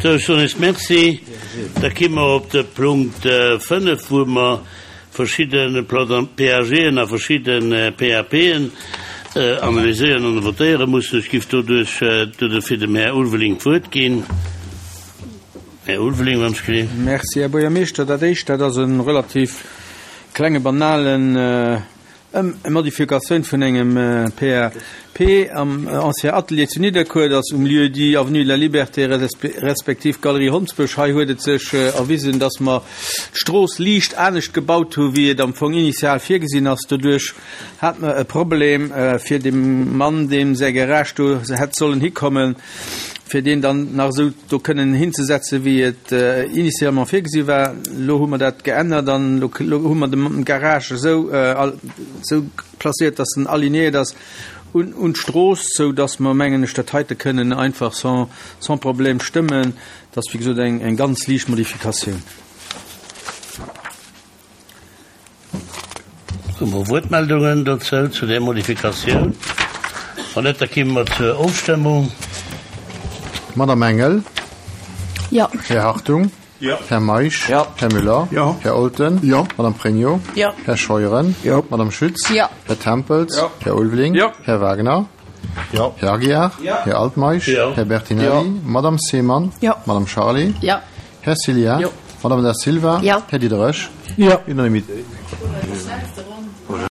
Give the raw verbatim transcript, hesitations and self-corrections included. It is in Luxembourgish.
Sou, ech soen Iech Merci. Da gi mer op de Punkt fënnef, wou mer verschidde PAGen a verschidde PAPen analyséieren an votéiere mussen. Ech giff doduerch dofir dem Här Ulveling d'Wuert ginn. Här Ulveling, wann ech gelift. Merci, Här Buergermeeschter. Dat Éischt, dat ass e relativ klenge, banalen Eng Modifikatioun vun engem P A P am Ancien Atelier zu Nidderkuer, dat ass um Lieu-dit Avenue de la Liberté respektiv Galerie Hondsbësch. Hei huet et sech erwisen, dass mer d'Strooss liicht anescht gebaut hu wéi et am Fong initial virgesinn ass. Doduerch hat mer e Problem fir dem Mann, deem säi Garage do hätt sollen hikommen, fir deen dann nach esou do kënnen hinzesetzen, wéi et initialement virgesi war. Elo hu mer dat geännert an elo hu mer de Garage esou esou placéiert, dass en alignéiert ass un un d'Strooss, sou dass mer, mengen ech, dat heite kënnen einfach sans sans problème stëmmen. Dat ass, wéi gesot, eng eng ganz liicht Modifikatioun. Hu mer Wuertmeldungen dozou, zu där Modifikatioun? Wann net, da komme mer zur Ofstëmmung. Madame Engel? Jo. Här Hartung? Jo. Här Meisch? Jo. Här Müller? Jo. Här Olten? Jo. Madame Pregno? Jo. Här Scheuren? Jo. Madame Schütz? Jo. Här Tempels? Jo. Här Ulveling? Jo. Här Wagner? Jo. Här Aguiar? Jo. Här Altmeisch? Jo. Här Bertinelli? Jo. Madame Seemann? Jo. Madame Charlé? Jo. Här Cillien? Jo. Madame Da Silva? Jo. Här Diderich? Jo. Unanimité.